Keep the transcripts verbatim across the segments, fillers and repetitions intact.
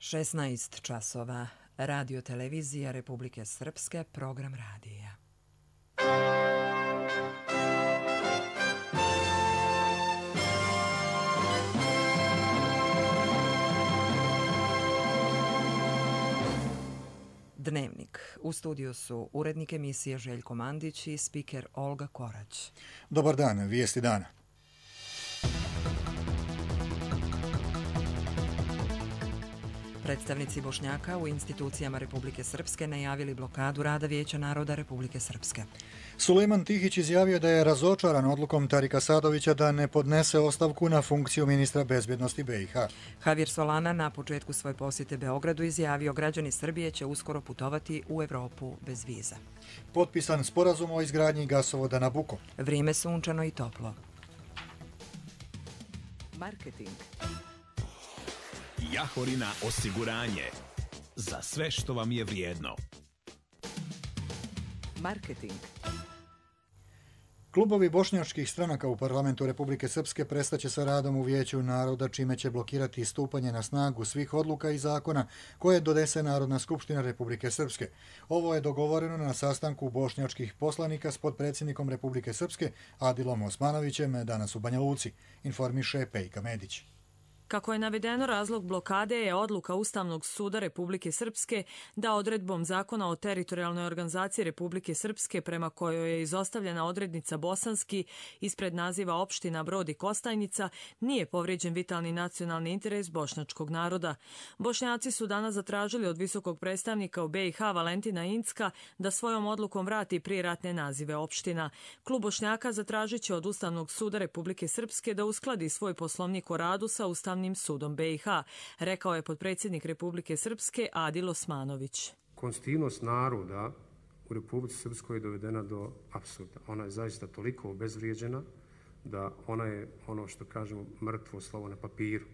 šesnaest časova. Radio televizija Republike Srpske, program radija. Dnevnik. U studiju su urednik emisije Željko Mandić i spiker Olga Korać. Dobar dan, vijesti dana. Predstavnici Bošnjaka u institucijama Republike Srpske najavili blokadu rada Vijeća naroda Republike Srpske. Sulejman Tihić izjavio da je razočaran odlukom Tarika Sadovića da ne podnese ostavku na funkciju ministra bezbjednosti B i H. Javier Solana na početku svoje posjete Beogradu izjavio građani Srbije će uskoro putovati u Evropu bez viza. Potpisan sporazum o izgradnji gasovoda Nabuko. Vrijeme sunčano i toplo. Marketing. Jahorina osiguranje. Za sve što vam je vrijedno. Marketing. Klubovi bošnjačkih stranaka u parlamentu Republike Srpske prestaće sa radom u Vijeću naroda, čime će blokirati stupanje na snagu svih odluka i zakona koje donese Narodna skupština Republike Srpske. Ovo je dogovoreno na sastanku bošnjačkih poslanika s potpredsjednikom Republike Srpske Adilom Osmanovićem danas u Banja Luci, informiše Pejka Medić. Kako je navedeno, razlog blokade je odluka Ustavnog suda Republike Srpske da odredbom Zakona o teritorijalnoj organizaciji Republike Srpske, prema kojoj je izostavljena odrednica bosanski ispred naziva opština Brod i Kostajnica, nije povrijeđen vitalni nacionalni interes bošnjačkog naroda. Bošnjaci su danas zatražili od visokog predstavnika u B i H Valentina Incka da svojom odlukom vrati prijeratne nazive opština. Klub Bošnjaka zatražit će od Ustavnog suda Republike Srpske da uskladi svoj poslovnik o radu sa Ustavnim sudom B i H, rekao je potpredsjednik Republike Srpske Adil Osmanović. Konstitutivnost naroda u Republici Srpskoj je dovedena do apsurda. Ona je zaista toliko obezvrijeđena da ona je, ono što kažemo, mrtvo slovo na papiru.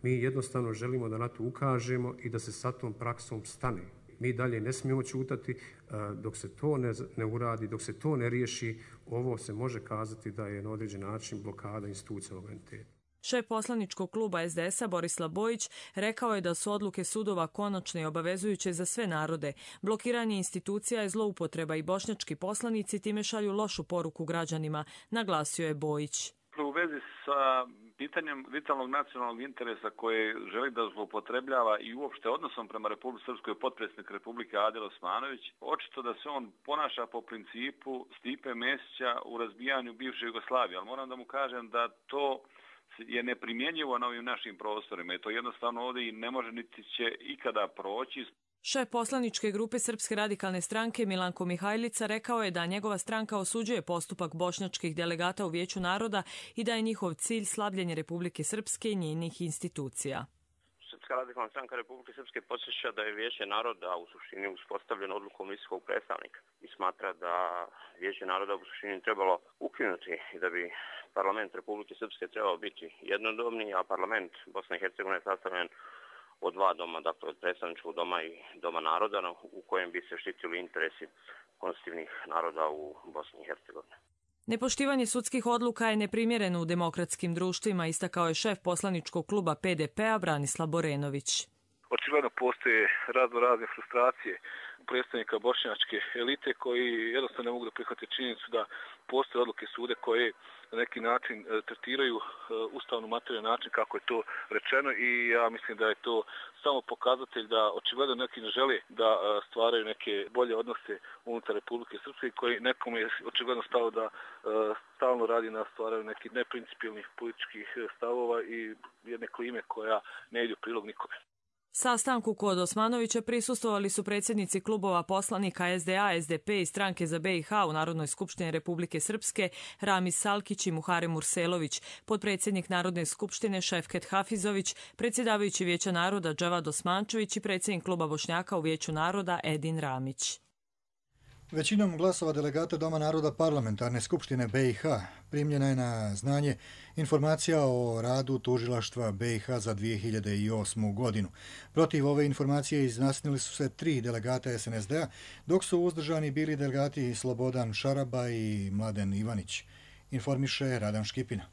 Mi jednostavno želimo da na to ukažemo i da se sa tom praksom stane. Mi dalje ne smijemo ćutati dok se to ne, ne uradi, dok se to ne riješi. Ovo se može kazati da je na određen način blokada institucija ovog entiteta. Šef poslaničkog kluba S D S-a Borislav Bojić rekao je da su odluke sudova konačne i obavezujuće za sve narode. Blokiranje institucija je zloupotreba i bošnjački poslanici time šalju lošu poruku građanima, naglasio je Bojić. U vezi sa pitanjem vitalnog nacionalnog interesa koje želi da zloupotrebljava i uopšte odnosom prema Republici Srpskoj potpredsjednik Republike Adil Osmanović, očito da se on ponaša po principu Stipe Mesića u razbijanju bivše Jugoslavije, ali moram da mu kažem da to je neprimjenjivo na ovim našim prostorima i to jednostavno ovdje i ne može niti će ikada proći. Šef poslaničke grupe Srpske radikalne stranke Milanko Mihajlica rekao je da njegova stranka osuđuje postupak bošnjačkih delegata u Vijeću naroda i da je njihov cilj slabljenje Republike Srpske i njenih institucija. Srpska radikalna stranka Republike Srpske podsjeća da je Vijeće naroda u suštini uspostavljeno odlukom visokog predstavnika i smatra da Vijeće naroda u suštini trebalo ukinuti i da bi parlament Republike Srpske trebao biti jednodomni, a parlament Bosne i Hercegovine je sastavljen od dva doma, dakle od predstavničkog doma i doma naroda, u kojem bi se štitili interesi konstitutivnih naroda u Bosni i Hercegovini. Nepoštivanje sudskih odluka je neprimjereno u demokratskim društvima, istakao je šef poslaničkog kluba P D P-a Branislav Borenović. Očigledno postoje razno razne frustracije predstavnika bošnjačke elite koji jednostavno ne mogu da prihvate činjenicu da postoje odluke sude koje na neki način tretiraju ustavnu materiju na način kako je to rečeno i ja mislim da je to samo pokazatelj da očigledno neki ne žele da stvaraju neke bolje odnose unutar Republike Srpske koji nekom je očigledno stalo da stalno radi na stvaranju nekih neprincipijelnih političkih stavova i jedne klime koja ne ide u prilog nikome. Sastanku kod Osmanovića prisustvovali su predsjednici klubova poslanika S D A, S D P i Stranke za B i H u Narodnoj skupštini Republike Srpske Ramiz Salkić i Muharem Murselović, potpredsjednik Narodne skupštine Šefket Hafizović, predsjedavajući Vijeća naroda Džavad Osmančević i predsjednik kluba Bošnjaka u Vijeću naroda Edin Ramić. Većinom glasova delegata Doma naroda parlamentarne skupštine B i H primljena je na znanje informacija o radu tužilaštva B i H za dvije hiljade osmu godinu. Protiv ove informacije izjasnili su se tri delegata S N S D-a, dok su uzdržani bili delegati Slobodan Šaraba i Mladen Ivanić, informiše Radan Škipina.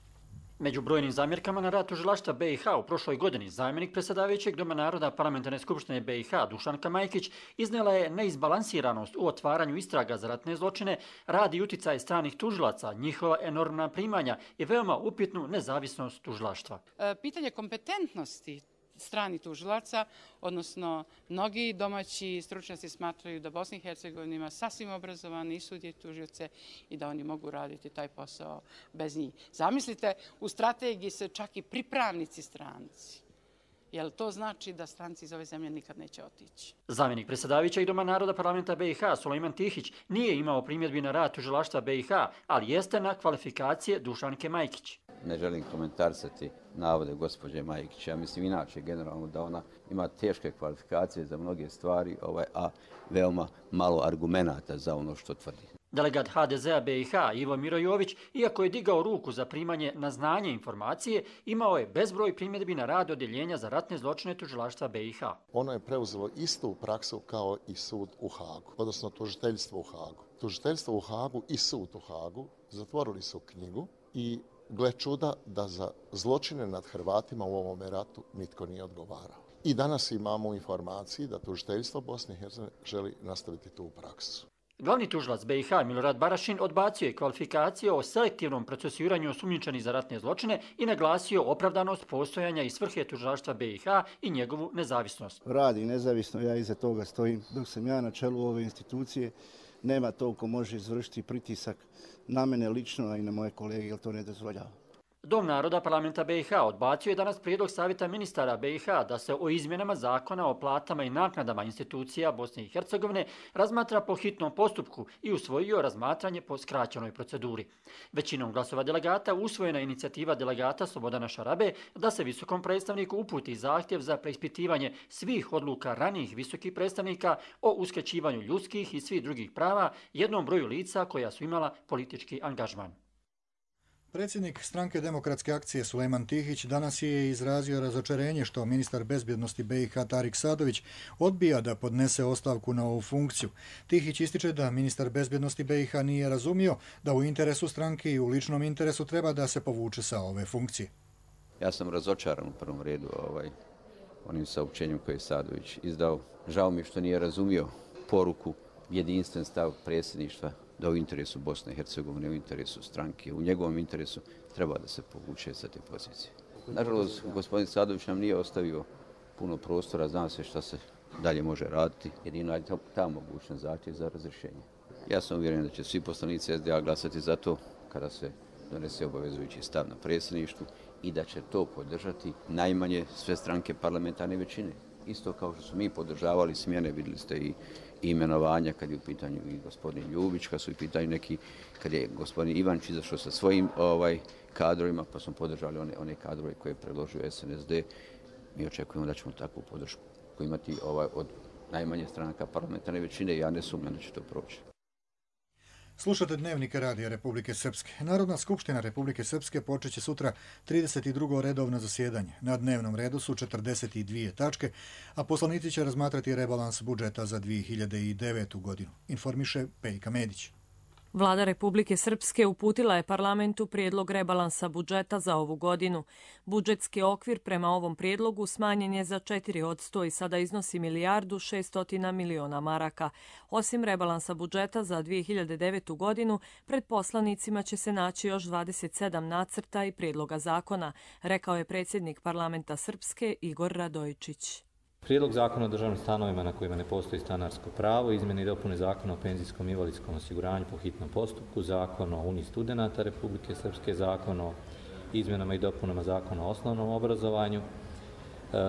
Među brojnim zamjerkama na rad tužilaštva B i H u prošloj godini zamjenik predsjedavajućeg Doma naroda Parlamentarne skupštine B i H Dušanka Majkić iznijela je neizbalansiranost u otvaranju istraga za ratne zločine, rad i uticaj stranih tužilaca, njihova enormna primanja i veoma upitnu nezavisnost tužilaštva. Pitanje kompetentnosti stranih tužilaca, odnosno mnogi domaći stručnjaci smatraju da Bosna i Hercegovina ima sasvim obrazovane i sudije i tužioce i da oni mogu raditi taj posao bez njih. Zamislite, u strategiji se čak i pripravnici stranci. Jel to znači da stranci iz ove zemlje nikad neće otići? Zamjenik predsjedavajućeg Doma naroda Parlamenta B i H Sulejman Tihić nije imao primjedbi na rad tužilaštva B i H, ali jeste na kvalifikacije Dušanke Majkić. Ne želim komentarisati navode gospođe Majkić. Ja mislim inače generalno da ona ima teške kvalifikacije za mnoge stvari, ovaj, a veoma malo argumenata za ono što tvrdi. Delegat H D Z-a B i H Ivo Miro Jović, iako je digao ruku za primanje na znanje informacije, imao je bezbroj primjedbi na rad odjeljenja za ratne zločine tužilaštva B i H. Ono je preuzelo istu praksu kao i sud u Hagu, odnosno tužiteljstvo u Hagu. Tužiteljstvo u Hagu i sud u Hagu zatvorili su knjigu i gle čuda da za zločine nad Hrvatima u ovome ratu nitko nije odgovarao. I danas imamo u informaciji da tužiteljstvo Bosne i Hercegovine želi nastaviti tu praksu. Glavni tužilac B i H Milorad Barašin odbacio je kvalifikacije o selektivnom procesuiranju osumnjičenih za ratne zločine i naglasio opravdanost postojanja i svrhe tužilaštva B i H i njegovu nezavisnost. Radi nezavisno, ja iza toga stojim. Dok sam ja na čelu ove institucije, nema to ko može izvršiti pritisak na mene lično, a i na moje kolege, jer to ne dozvoljava. Dom naroda Parlamenta B i H odbacio je danas prijedlog Savjeta ministara B i H da se o izmjenama zakona o platama i naknadama institucija Bosne i Hercegovine razmatra po hitnom postupku i usvojio razmatranje po skraćenoj proceduri. Većinom glasova delegata usvojena inicijativa delegata Slobodana Šarabe da se visokom predstavniku uputi zahtjev za preispitivanje svih odluka ranijih visokih predstavnika o uskraćivanju ljudskih i svih drugih prava jednom broju lica koja su imala politički angažman. Predsjednik Stranke demokratske akcije Sulejman Tihić danas je izrazio razočarenje što ministar bezbjednosti B i H Tarik Sadović odbija da podnese ostavku na ovu funkciju. Tihić ističe da ministar bezbjednosti B i H nije razumio da u interesu stranke i u ličnom interesu treba da se povuče sa ove funkcije. Ja sam razočaran u prvom redu ovaj, onim saopćenjem koje je Sadović izdao. Žao mi što nije razumio poruku, jedinstven stav predsjedništva da u interesu Bosne i Hercegovine, u interesu stranke, u njegovom interesu treba da se povuče sa te pozicije. Nažalost, gospodin Sadović nam nije ostavio puno prostora, zna se šta se dalje može raditi, jedino je ta mogućnost zahtjev za razrješenje. Ja sam uvjeren da će svi poslanici S D A glasati za to kada se donese obavezujući stav na predsjedništvu i da će to podržati najmanje sve stranke parlamentarne većine. Isto kao što su mi podržavali smjene, vidjeli ste i imenovanja kad je u pitanju i gospodin Ljubić, kad su u pitanju neki, kad je gospodin Ivančić izašao sa svojim ovaj, kadrovima, pa smo podržali one, one kadrove koje je predložio S N S D. Mi očekujemo da ćemo takvu podršku imati ovaj, od najmanje stranaka parlamentarne većine i ja ne sumnjam da će to proći. Slušate Dnevnik Radija Republike Srpske. Narodna skupština Republike Srpske počeće sutra trideset drugo redovno zasjedanje. Na dnevnom redu su četrdeset dvije tačke, a poslanici će razmatrati rebalans budžeta za dvije hiljade devetu godinu, informiše Pejka Medić. Vlada Republike Srpske uputila je parlamentu prijedlog rebalansa budžeta za ovu godinu. Budžetski okvir prema ovom prijedlogu smanjen je za četiri posto i sada iznosi milijardu šeststotina miliona maraka. Osim rebalansa budžeta za dvije hiljade devetu godinu, pred poslanicima će se naći još dvadeset sedam nacrta i prijedloga zakona, rekao je predsjednik parlamenta Srpske Igor Radojičić. Prijedlog zakona o državnim stanovima na kojima ne postoji stanarsko pravo, izmjene i dopune zakona o penzijskom i invalidskom osiguranju po hitnom postupku, zakon o Uniji studenata Republike Srpske, zakon o izmjenama i dopunama zakona o osnovnom obrazovanju,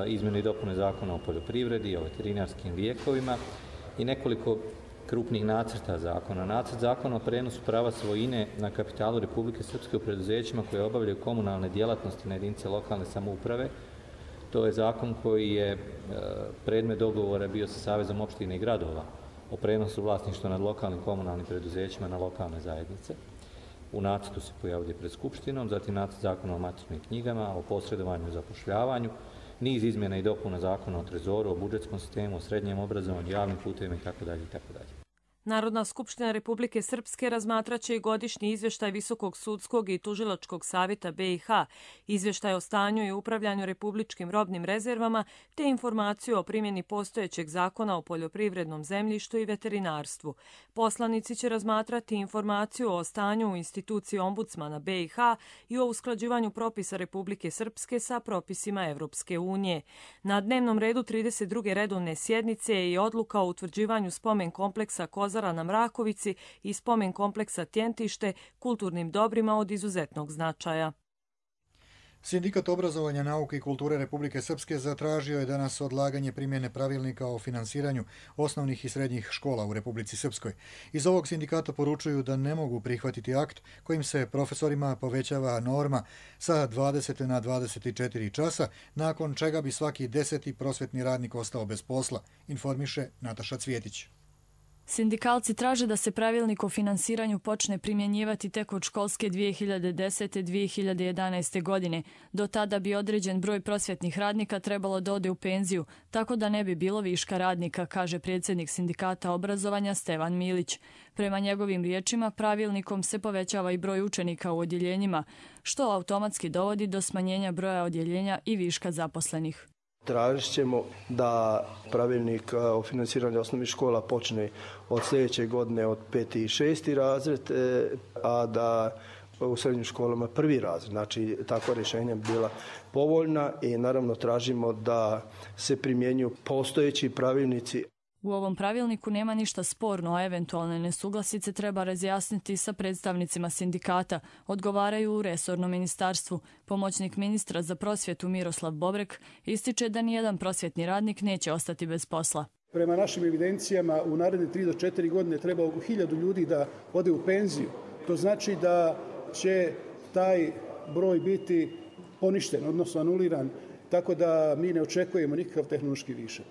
izmjene i dopune zakona o poljoprivredi, o veterinarskim lijekovima i nekoliko krupnih nacrta zakona. Nacrt zakona o prenosu prava svojine na kapitalu Republike Srpske u preduzećima koje obavljaju komunalne djelatnosti na jedinice lokalne samouprave. To je zakon koji je predmet dogovora bio sa Savezom opština i gradova o prenosu vlasništva nad lokalnim komunalnim preduzećima na lokalne zajednice. U nacrtu se pojavljuje pred Skupštinom, zatim nacrt zakona o matičnim knjigama, o posredovanju i zapošljavanju, niz izmjena i dopuna zakona o trezoru, o budžetskom sistemu, o srednjem obrazovanju, javnim putevima itd. itd. Narodna skupština Republike Srpske razmatraće i godišnji izvještaj Visokog sudskog i tužilačkog savjeta B i H, izvještaj o stanju i upravljanju republičkim robnim rezervama, te informaciju o primjeni postojećeg zakona o poljoprivrednom zemljištu i veterinarstvu. Poslanici će razmatrati informaciju o stanju u instituciji ombudsmana B i H i o usklađivanju propisa Republike Srpske sa propisima Evropske unije. Na dnevnom redu trideset druge redovne sjednice je i odluka o utvrđivanju spomen kompleksa Kozara na Mrakovici i spomen kompleksa Tjentište kulturnim dobrima od izuzetnog značaja. Sindikat obrazovanja, nauke i kulture Republike Srpske zatražio je danas odlaganje primjene pravilnika o finansiranju osnovnih i srednjih škola u Republici Srpskoj. Iz ovog sindikata poručuju da ne mogu prihvatiti akt kojim se profesorima povećava norma sa dvadeset na dvadeset četiri časa, nakon čega bi svaki deseti prosvetni radnik ostao bez posla, informiše Nataša Cvjetić. Sindikalci traže da se pravilnik o finansiranju počne primjenjivati tek od školske dvije hiljade desete dvije hiljade jedanaeste. godine. Do tada bi određen broj prosvjetnih radnika trebalo da ode u penziju, tako da ne bi bilo viška radnika, kaže predsjednik sindikata obrazovanja Stevan Milić. Prema njegovim riječima, pravilnikom se povećava i broj učenika u odjeljenjima, što automatski dovodi do smanjenja broja odjeljenja i viška zaposlenih. Tražit ćemo da pravilnik o finansiranju osnovnih škola počne od sljedeće godine od peti i šesti razred, a da u srednjim školama prvi razred. Znači, takva rješenja bi bila povoljna i naravno tražimo da se primjenjuju postojeći pravilnici. U ovom pravilniku nema ništa sporno, a eventualne nesuglasice treba razjasniti sa predstavnicima sindikata, odgovaraju u resornom ministarstvu. Pomoćnik ministra za prosvjetu Miroslav Bobrek ističe da nijedan prosvjetni radnik neće ostati bez posla. Prema našim evidencijama u naredne tri do četiri godine treba oko hiljadu ljudi da ode u penziju. To znači da će taj broj biti poništen, odnosno anuliran, tako da mi ne očekujemo nikakav tehnološki višak.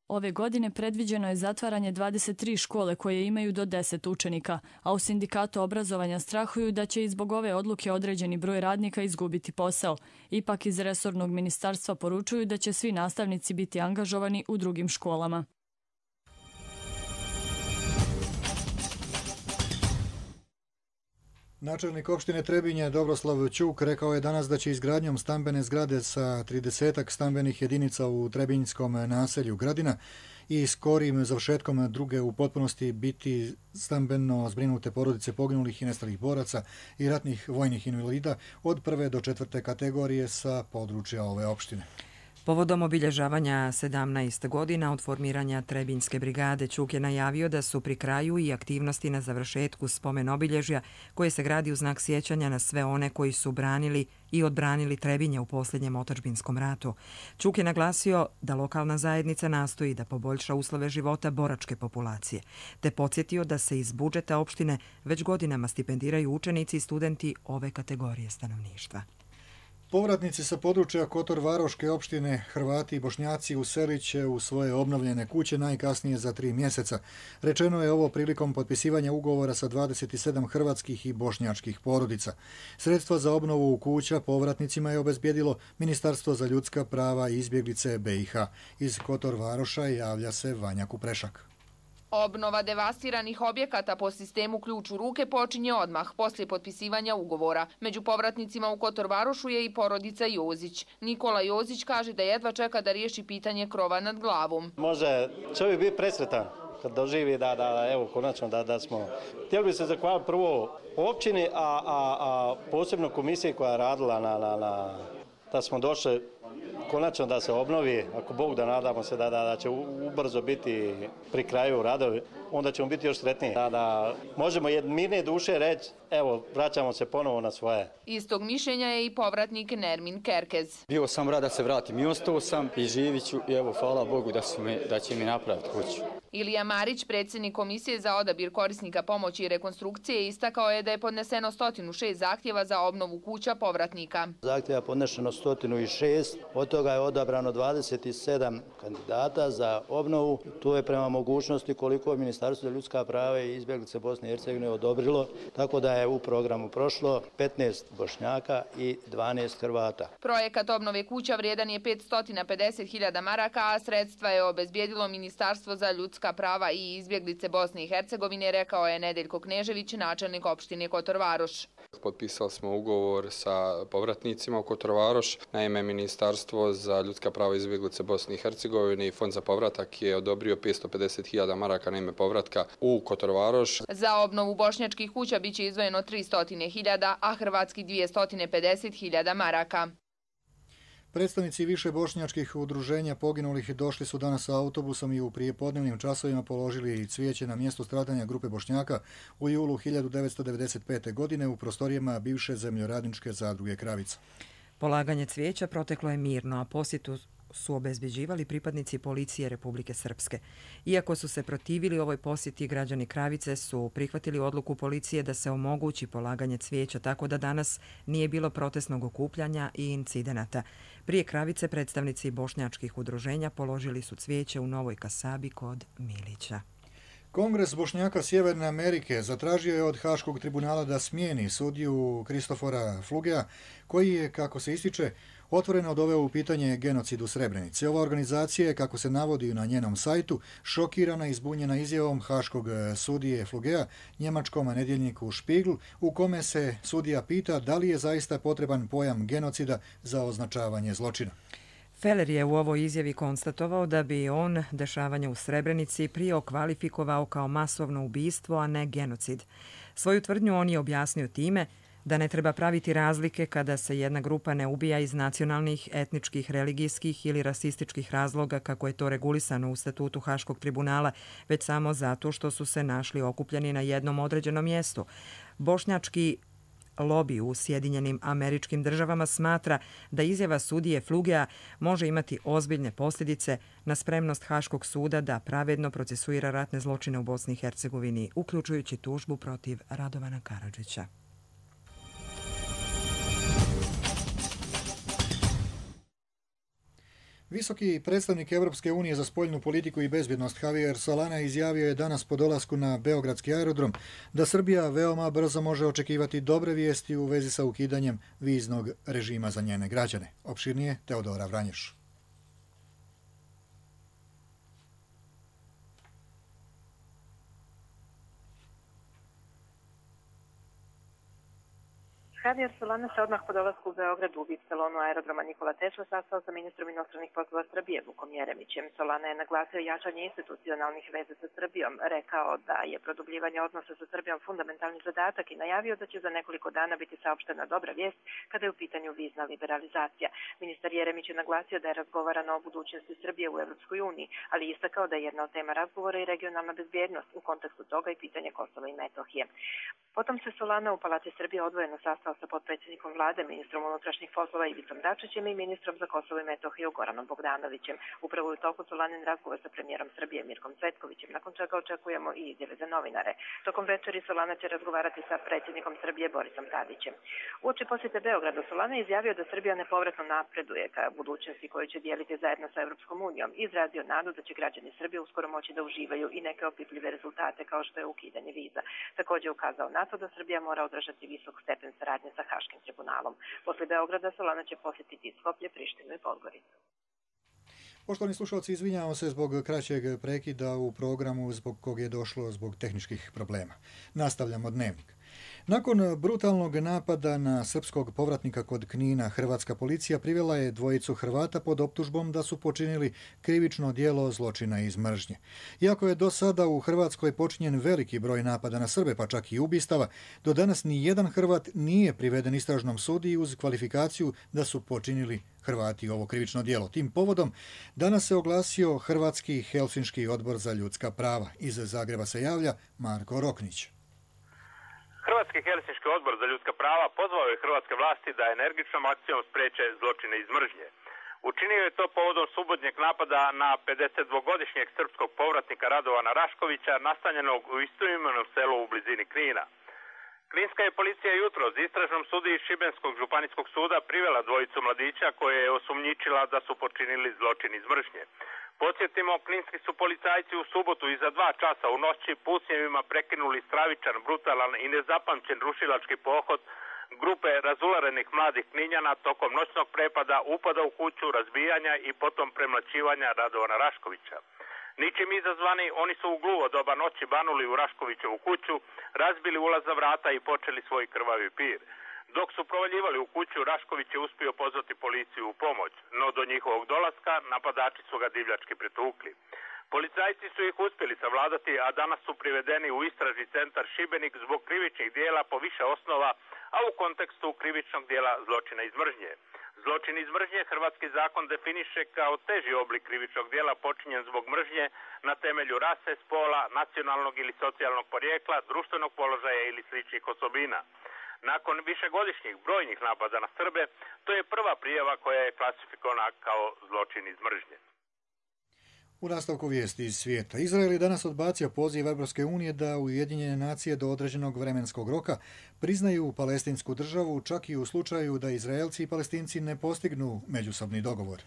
Ove godine predviđeno je zatvaranje dvadeset tri škole koje imaju do deset učenika, a u sindikatu obrazovanja strahuju da će i zbog ove odluke određeni broj radnika izgubiti posao. Ipak iz resornog ministarstva poručuju da će svi nastavnici biti angažovani u drugim školama. Načelnik opštine Trebinje Dobroslav Ćuk rekao je danas da će izgradnjom stambene zgrade sa tridesetak stambenih jedinica u Trebinjskom naselju Gradina i skorim završetkom druge u potpunosti biti stambeno zbrinute porodice poginulih i nestalih boraca i ratnih vojnih invalida od prve do četvrte kategorije sa područja ove opštine. Povodom obilježavanja sedamnaest godina od formiranja Trebinjske brigade, Ćuk je najavio da su pri kraju i aktivnosti na završetku spomen obilježja koje se gradi u znak sjećanja na sve one koji su branili i odbranili Trebinje u posljednjem otadžbinskom ratu. Ćuk je naglasio da lokalna zajednica nastoji da poboljša uslove života boračke populacije, te podsjetio da se iz budžeta opštine već godinama stipendiraju učenici i studenti ove kategorije stanovništva. Povratnici sa područja Kotor-Varoške opštine, Hrvati i Bošnjaci uselit će u svoje obnovljene kuće najkasnije za tri mjeseca. Rečeno je ovo prilikom potpisivanja ugovora sa dvadeset sedam hrvatskih i bošnjačkih porodica. Sredstva za obnovu kuća povratnicima je obezbijedilo Ministarstvo za ljudska prava i izbjeglice B i H. Iz Kotor-Varoša javlja se Vanja Kuprešak. Obnova devastiranih objekata po sistemu ključ u ruke počinje odmah poslije potpisivanja ugovora. Među povratnicima u Kotor-Varošu je i porodica Jozić. Nikola Jozić kaže da jedva čeka da riješi pitanje krova nad glavom. Može čovjek biti presretan kad doživi da, da, evo, konačno da, da smo. Htjeli bi se zahvaliti prvo općini, a, a, a posebno komisiji koja je radila na, na, na, da smo došli konačno da se obnovi, ako Bog da nadamo se da, da, da će ubrzo biti pri kraju radovi, onda ćemo biti još sretniji. Da, da možemo mirne duše reći, evo, vraćamo se ponovo na svoje. Istog mišljenja je i povratnik Nermin Kerkez. Bio sam rad da se vratim i ostao sam i živit ću i evo, hvala Bogu da, me, da će mi napraviti kuću. Ilija Marić, predsjednik Komisije za odabir korisnika pomoći i rekonstrukcije, istakao je da je podneseno sto šest zahtjeva za obnovu kuća povratnika. Zahtjeva podneseno sto šest, od toga je odabrano dvadeset sedam kandidata za obnovu. Tu je prema mogućnosti koliko je ministarstvo Ministarstvo za ljudska prava i izbjeglice Bosne i Hercegovine odobrilo, tako da je u programu prošlo petnaest Bošnjaka i dvanaest Hrvata. Projekat obnove kuća vrijedan je petsto pedeset hiljada maraka, a sredstva je obezbijedilo Ministarstvo za ljudska prava i izbjeglice Bosne i Hercegovine, rekao je Nedeljko Knežević, načelnik opštine Kotor Varoš. Potpisali smo ugovor sa povratnicima u Kotor Varoš. Naime, Ministarstvo za ljudska prava i izbjeglice Bosne i Hercegovine i Fond za povratak je odobrio petsto pedeset hiljada maraka na ime povratka u Kotor Varoš. Za obnovu bošnjačkih kuća biće izdvojeno tristo hiljada, a hrvatski dvjesto pedeset hiljada maraka. Predstavnici više bošnjačkih udruženja poginulih došli su danas autobusom i u prijepodnevnim časovima položili cvijeće na mjesto stradanja grupe Bošnjaka u julu hiljadu devetsto devedeset pete. godine u prostorijama bivše zemljoradničke zadruge Kravica. Polaganje cvijeća proteklo je mirno, a posjetu su obezbeđivali pripadnici policije Republike Srpske. Iako su se protivili ovoj posjeti, građani Kravice su prihvatili odluku policije da se omogući polaganje cvijeća, tako da danas nije bilo protestnog okupljanja i incidenata. Prije Kravice predstavnici bošnjačkih udruženja položili su cvijeće u Novoj Kasabi kod Milića. Kongres Bošnjaka Sjeverne Amerike zatražio je od Haškog tribunala da smijeni sudiju Kristofora Flugea, koji je, kako se ističe, otvoreno doveo u pitanje genocid u Srebrenici. Ova organizacija je, kako se navodi na njenom sajtu, šokirana i zbunjena izjavom haškog sudije Flugea njemačkom nedjeljniku Spiegel, u kome se sudija pita da li je zaista potreban pojam genocida za označavanje zločina. Feller je u ovoj izjavi konstatovao da bi on dešavanje u Srebrenici prije okvalifikovao kao masovno ubistvo, a ne genocid. Svoju tvrdnju on je objasnio time da ne treba praviti razlike kada se jedna grupa ne ubija iz nacionalnih, etničkih, religijskih ili rasističkih razloga, kako je to regulisano u statutu Haškog tribunala, već samo zato što su se našli okupljeni na jednom određenom mjestu. Bošnjački lobi u Sjedinjenim Američkim Državama smatra da izjava sudije Flugea može imati ozbiljne posljedice na spremnost Haškog suda da pravedno procesuira ratne zločine u Bosni i Hercegovini, uključujući tužbu protiv Radovana Karadžića. Visoki predstavnik Evropske unije za spoljnu politiku i bezbjednost Javier Solana izjavio je danas po dolasku na Beogradski aerodrom da Srbija veoma brzo može očekivati dobre vijesti u vezi sa ukidanjem viznog režima za njene građane. Opširnije Teodora Vranješ. Javier Solana se odmah po dolasku u Beogradu u V I P salonu aerodroma Nikola Tesla sastao sa ministrom inostranih poslova Srbije Vukom Jeremićem. Solana je naglasio jačanje institucionalnih veza sa Srbijom, rekao da je produbljivanje odnosa sa Srbijom fundamentalni zadatak i najavio da će za nekoliko dana biti saopštena dobra vijest kada je u pitanju vizna liberalizacija. Ministar Jeremić je naglasio da je razgovarano o budućnosti Srbije u Evropskoj uniji, ali istakao da je jedna od tema razgovora i regionalna bezbjednost, u kontekstu toga i pitanje Kosova i Metohije. Potom se Solana u Palati Srbije odvojeno sastao sa potpredsjednikom vlade, ministrom unutrašnjih poslova Ivicom Dačićem i ministrom za Kosovo i Metohiju Goranom Bogdanovićem. Upravo u toku Solanin razgovor sa premijerom Srbije Mirkom Cvetkovićem, nakon čega očekujemo i izjave za novinare. Tokom večeri Solana će razgovarati sa predsjednikom Srbije Borisom Tadićem. Uoči posjete Beogradu Solana je izjavio da Srbija nepovratno napreduje ka budućnosti koju će dijeliti zajedno sa Evropskom unijom i izrazio nadu da će građani Srbije uskoro moći da uživaju i neke opipljive rezultate kao što je ukidanje viza. Također ukazao na to da Srbija mora održati visok stepen saradnje sa Haškim tribunalom. Posle Beograda Solana će posjetiti Skoplje, Prištinu i Podgoricu. Poštovani slušalci, izvinjavamo se zbog kraćeg prekida u programu zbog kog je došlo zbog tehničkih problema. Nastavljamo dnevnik. Nakon brutalnog napada na srpskog povratnika kod Knina, hrvatska policija privela je dvojicu Hrvata pod optužbom da su počinili krivično djelo zločina iz mržnje. Iako je do sada u Hrvatskoj počinjen veliki broj napada na Srbe, pa čak i ubistava, do danas ni jedan Hrvat nije priveden istražnom sudiji uz kvalifikaciju da su počinili Hrvati ovo krivično djelo. Tim povodom danas se oglasio Hrvatski Helsinški odbor za ljudska prava. Iz Zagreba se javlja Marko Roknić. Hrvatski Helsinški odbor za ljudska prava pozvao je hrvatske vlasti da energičnom akcijom spreče zločine iz mržnje. Učinio je to povodom subotnjeg napada na pedesetdvogodišnjeg srpskog povratnika Radovana Raškovića, nastanjenog u istoimenom selu u blizini Knina. Kninska je policija jutros istražnom sudiji Šibenskog županijskog suda privela dvojicu mladića koje je osumnjičila da su počinili zločin iz mržnje. Podsjetimo, kninski su policajci u subotu iza dva časa u noći pucnjevima prekinuli stravičan, brutalan i nezapamćen rušilački pohod grupe razularenih mladih Kninjana tokom noćnog prepada, upada u kuću, razbijanja i potom premlaćivanja Radovana Raškovića. Ničim izazvani, oni su u gluvo doba noći banuli u Raškovićevu kuću, razbili ulaza vrata i počeli svoj krvavi pir. Dok su provaljivali u kuću, Rašković je uspio pozvati policiju u pomoć, no do njihovog dolaska napadači su ga divljački pretukli. Policajci su ih uspjeli savladati, a danas su privedeni u istražni centar Šibenik zbog krivičnih dijela po više osnova, a u kontekstu krivičnog dijela zločina iz mržnje. Zločin iz mržnje hrvatski zakon definiše kao teži oblik krivičnog dijela počinjen zbog mržnje na temelju rase, spola, nacionalnog ili socijalnog porijekla, društvenog položaja ili sličnih osobina. Nakon višegodišnjih brojnih napada na Srbe, to je prva prijava koja je klasifikovana kao zločin iz mržnje. U nastavku vijesti iz svijeta. Izrael je danas odbacio poziv Europske unije da Ujedinjene nacije do određenog vremenskog roka priznaju palestinsku državu, čak i u slučaju da Izraelci i Palestinci ne postignu međusobni dogovor.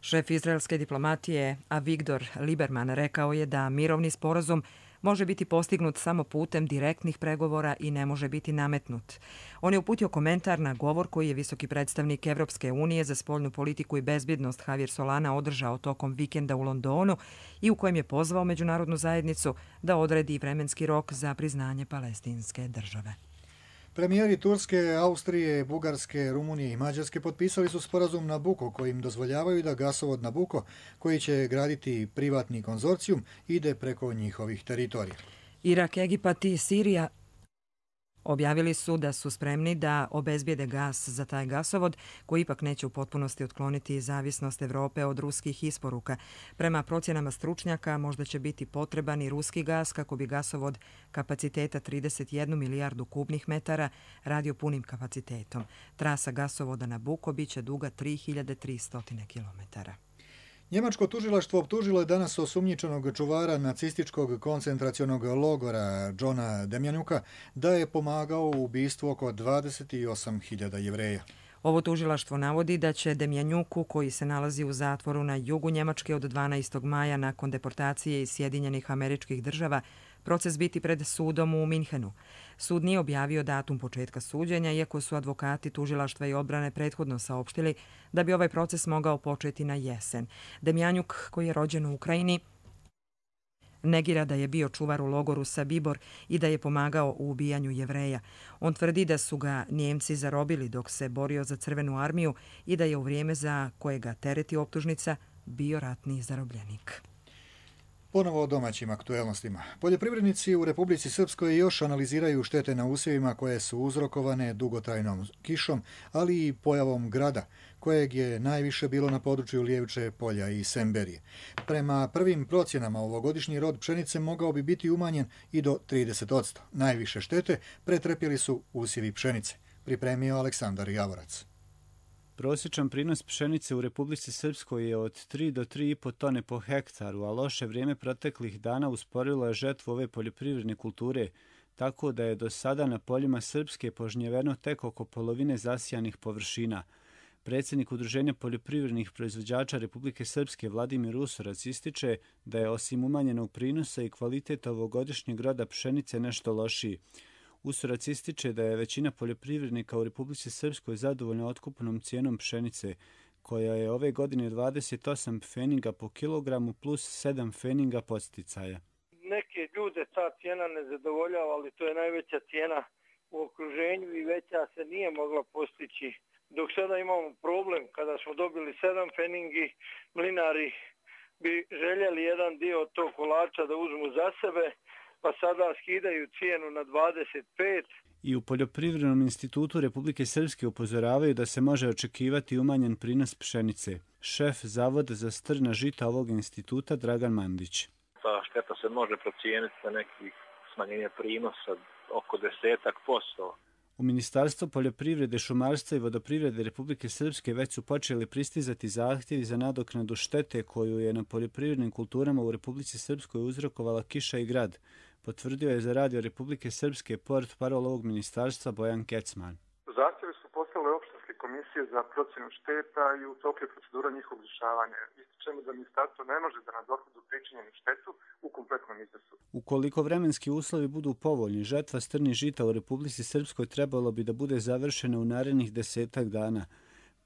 Šef izraelske diplomatije Avigdor Lieberman rekao je da mirovni sporazum može biti postignut samo putem direktnih pregovora i ne može biti nametnut. On je uputio komentar na govor koji je visoki predstavnik Evropske unije za spoljnu politiku i bezbjednost Javier Solana održao tokom vikenda u Londonu i u kojem je pozvao međunarodnu zajednicu da odredi vremenski rok za priznanje palestinske države. Premijeri Turske, Austrije, Bugarske, Rumunije i Mađarske potpisali su sporazum Nabucco kojim dozvoljavaju da gasovod Nabucco, koji će graditi privatni konzorcijum, ide preko njihovih teritorija. Irak, Egipat i Sirija objavili su da su spremni da obezbijede gas za taj gasovod, koji ipak neće u potpunosti otkloniti zavisnost Evrope od ruskih isporuka. Prema procjenama stručnjaka možda će biti potreban i ruski gas kako bi gasovod kapaciteta trideset jednu milijardu kubnih metara radio punim kapacitetom. Trasa gasovoda Nabucco biće duga tri hiljade tristo kilometara. Njemačko tužilaštvo optužilo je danas osumnjičenog čuvara nacističkog koncentracionog logora Johna Demjanuka da je pomagao u ubistvu oko dvadeset osam hiljada Jevreja. Ovo tužilaštvo navodi da će Demjanjuku, koji se nalazi u zatvoru na jugu Njemačke od dvanaestog maja nakon deportacije iz Sjedinjenih Američkih Država, proces biti pred sudom u Minhenu. Sud nije objavio datum početka suđenja, iako su advokati tužilaštva i odbrane prethodno saopštili da bi ovaj proces mogao početi na jesen. Demjanjuk, koji je rođen u Ukrajini, negira da je bio čuvar u logoru Sabibor i da je pomagao u ubijanju Jevreja. On tvrdi da su ga Njemci zarobili dok se borio za Crvenu armiju i da je u vrijeme za koje ga tereti optužnica bio ratni zarobljenik. Ponovo o domaćim aktuelnostima. Poljoprivrednici u Republici Srpskoj još analiziraju štete na usjevima koje su uzrokovane dugotrajnom kišom, ali i pojavom grada, kojeg je najviše bilo na području Lijeviče polja i Semberije. Prema prvim procjenama ovogodišnji rod pšenice mogao bi biti umanjen i do trideset posto. Najviše štete pretrpjeli su usjevi pšenice, pripremio Aleksandar Javorac. Prosječan prinos pšenice u Republici Srpskoj je od tri do tri i po tone po hektaru, a loše vrijeme proteklih dana usporilo je žetvu ove poljoprivredne kulture, tako da je do sada na poljima Srpske požnjeveno tek oko polovine zasijanih površina. Predsjednik Udruženja poljoprivrednih proizvođača Republike Srpske Vladimir Usorac ističe da je osim umanjenog prinosa i kvalitet ovogodišnjeg roda pšenice nešto lošiji. Usorac ističe da je većina poljoprivrednika u Republici Srpskoj zadovoljna otkupnom cijenom pšenice, koja je ove godine dvadeset osam pfeniga po kilogramu plus sedam pfeniga podsticaja. Neke ljude ta cijena ne zadovoljava, ali to je najveća cijena u okruženju i veća se nije mogla postići. Dok sada imamo problem, kada smo dobili sedam pfeningi, mlinari bi željeli jedan dio od tog kolača da uzmu za sebe, pa sada skidaju cijenu na dvadeset pet. I u Poljoprivrednom institutu Republike Srpske upozoravaju da se može očekivati umanjen prinos pšenice. Šef Zavoda za strna žita ovog instituta Dragan Mandić. Ta šteta se može procijeniti na nekih smanjenje prinosa oko desetak posto. U Ministarstvo poljoprivrede, šumarstva i vodoprivrede Republike Srpske već su počeli pristizati zahtjevi za nadoknadu štete koju je na poljoprivrednim kulturama u Republici Srpskoj uzrokovala kiša i grad, potvrdio je za radio Republike Srpske port parol ovog ministarstva Bojan Kecman. Zahtjevi su poslale opštinske komisije komisije za procjenu šteta i u toku je procedura njihovog rješavanja. Ističemo da ministarstvo ne može da nadoknadi pričinjenu štetu u kompletnom iznosu. Ukoliko vremenski uslovi budu povoljni, žetva strnih žita u Republici Srpskoj trebalo bi da bude završena u narednih desetak dana.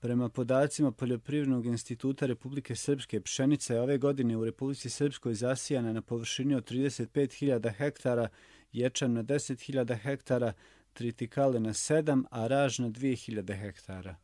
Prema podacima Poljoprivrednog instituta Republike Srpske, pšenica je ove godine u Republici Srpskoj zasijana na površini od trideset pet hiljada hektara, ječam na deset hiljada hektara, tritikale na sedam, a raž na dvije hiljade hektara.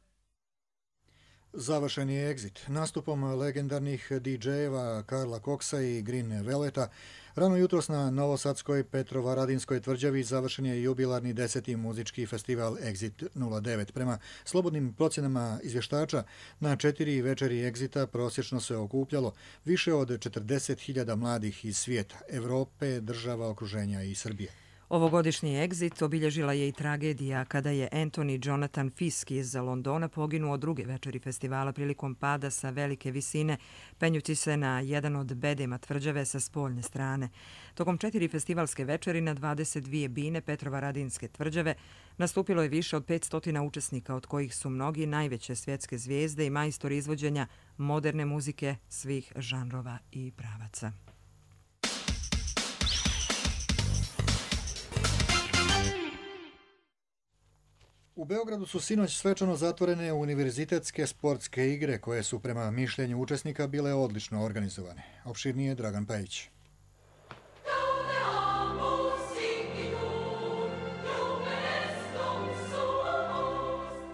Završen je Exit. Nastupom legendarnih didžejeva Karla Koksa i Green Veleta rano jutros na novosadskoj Petrovaradinskoj tvrđavi završen je jubilarni deseti muzički festival Exit nula devet. Prema slobodnim procjenama izvještača, na četiri večeri Exita prosječno se okupljalo više od četrdeset hiljada mladih iz svijeta, Evrope, država okruženja i Srbije. Ovogodišnji Exit obilježila je i tragedija kada je Anthony Jonathan Fisk iz Londona poginuo druge večeri festivala prilikom pada sa velike visine, penjući se na jedan od bedema tvrđave sa spoljne strane. Tokom četiri festivalske večeri na dvadeset dvije bine Petrovaradinske tvrđave nastupilo je više od petsto učesnika, od kojih su mnogi najveće svjetske zvijezde i majstori izvođenja moderne muzike svih žanrova i pravaca. U Beogradu su sinoć svečano zatvorene univerzitetske sportske igre koje su prema mišljenju učesnika bile odlično organizovane. Opširnije Dragan Pajić.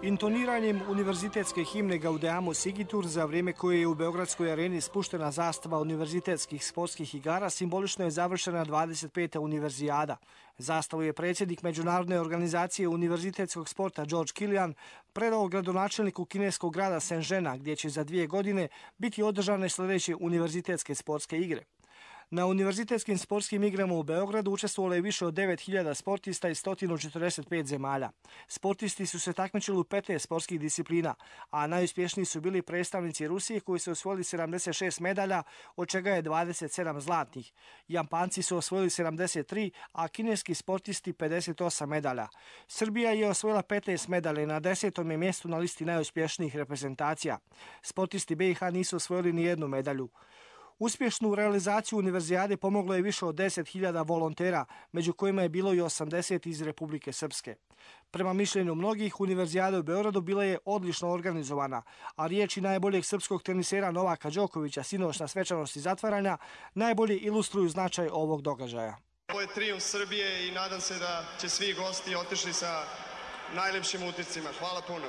Intoniranjem univerzitetske himne Gaudeamus Sigitur za vrijeme koje je u Beogradskoj areni spuštena zastava univerzitetskih sportskih igara simbolično je završena dvadeset peta univerzijada. Zastavu je predsjednik Međunarodne organizacije univerzitetskog sporta George Kilian predao gradonačelniku kineskog grada Shenzhena, gdje će za dvije godine biti održane sljedeće univerzitetske sportske igre. Na univerzitetskim sportskim igrama u Beogradu učestvovalo je više od devet hiljada sportista iz sto četrdeset pet zemalja. Sportisti su se takmičili u petnaest sportskih disciplina, a najuspješniji su bili predstavnici Rusije koji su osvojili sedamdeset šest medalja, od čega je dvadeset sedam zlatnih. Japanci su osvojili sedamdeset tri, a kineski sportisti pedeset osam medalja. Srbija je osvojila petnaest medalja na desetom je mjestu na listi najuspješnijih reprezentacija. Sportisti B i H nisu osvojili ni jednu medalju. Uspješnu realizaciju univerzijade pomoglo je više od deset hiljada volontera, među kojima je bilo i osamdeset iz Republike Srpske. Prema mišljenju mnogih, univerzijada u Beogradu bila je odlično organizovana, a riječi najboljeg srpskog tenisera Novaka Đokovića sinoć na svečanosti zatvaranja najbolje ilustruju značaj ovog događaja. Ovo je trijumf Srbije i nadam se da će svi gosti otišli sa najlepšim utiscima. Hvala puno.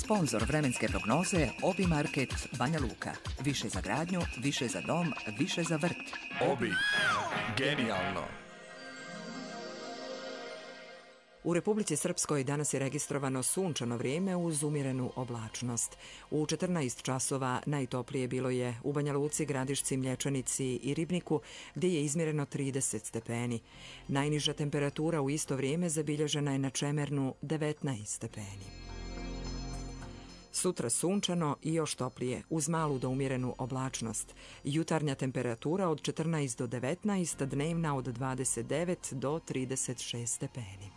Sponzor vremenske prognoze Obi Market Banja Luka. Više za gradnju, više za dom, više za vrt. Obi. Genijalno. U Republici Srpskoj danas je registrovano sunčano vrijeme uz umjerenu oblačnost. U četrnaest časova najtoplije bilo je u Banja Luci, Gradišci, Mlječanici i Ribniku, gdje je izmjereno trideset stepeni. Najniža temperatura u isto vrijeme zabilježena je na Čemernu devetnaest stepeni. Sutra sunčano i još toplije, uz malu do umjerenu oblačnost. Jutarnja temperatura od četrnaest do devetnaest, dnevna od dvadeset devet do trideset šest stepeni.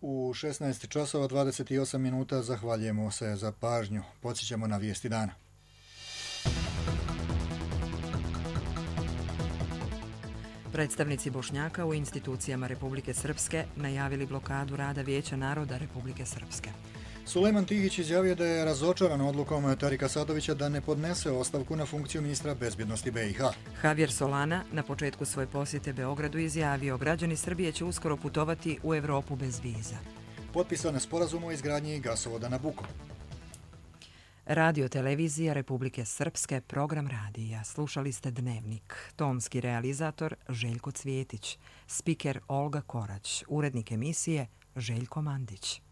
U šesnaest časova dvadeset osam minuta zahvaljujemo se za pažnju. Podsjećamo na vijesti dana. Predstavnici Bošnjaka u institucijama Republike Srpske najavili blokadu rada Vijeća naroda Republike Srpske. Sulejman Tihić izjavio da je razočaran odlukom Tarika Sadovića da ne podnese ostavku na funkciju ministra bezbjednosti B i H. Javier Solana na početku svoje posjete Beogradu izjavio građani Srbije će uskoro putovati u Evropu bez viza. Potpisan sporazum o izgradnji gasovoda Nabucco. Radio televizija Republike Srpske, program radija. Slušali ste Dnevnik. Tonski realizator Željko Cvjetić. Spiker Olga Korać. Urednik emisije Željko Mandić.